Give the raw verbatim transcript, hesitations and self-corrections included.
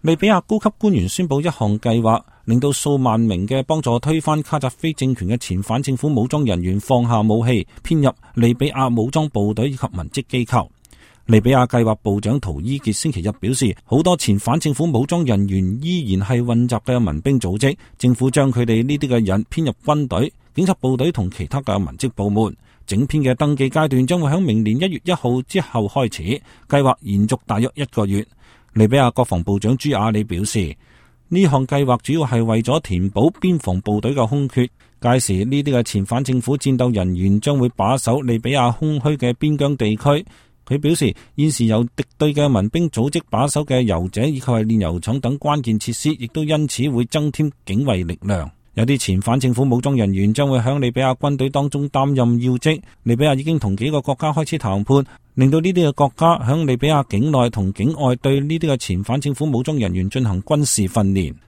利比亞高級官員宣布一項計劃，令到數萬名嘅幫助推翻卡扎菲政權嘅前反政府武裝人員放下武器，編入利比亞武裝部隊以及文職機構。利比亞計劃部長圖伊傑星期日表示，好多前反政府武裝人員依然係混雜嘅民兵組織，政府將佢哋呢啲嘅人編入軍隊、警察部隊同其他嘅文職部門。整篇嘅登記階段將會喺明年一月一號之後開始，計劃延續大約一個月。利比亞國防部長朱亞里表示，呢項計劃主要係為咗填補邊防部隊嘅空缺，屆時呢啲嘅前反政府戰鬥人員將會把守利比亞空虛嘅邊疆地區。佢表示，現時由敵對嘅民兵組織把守嘅油井以及係煉油廠等關鍵設施，亦都因此會增添警衛力量。有啲前反政府武裝人員將會響利比亞軍隊當中擔任要職。利比亞已經同幾個國家開始談判，令到呢啲嘅國家響利比亞境內同境外對呢啲嘅前反政府武裝人員進行軍事訓練。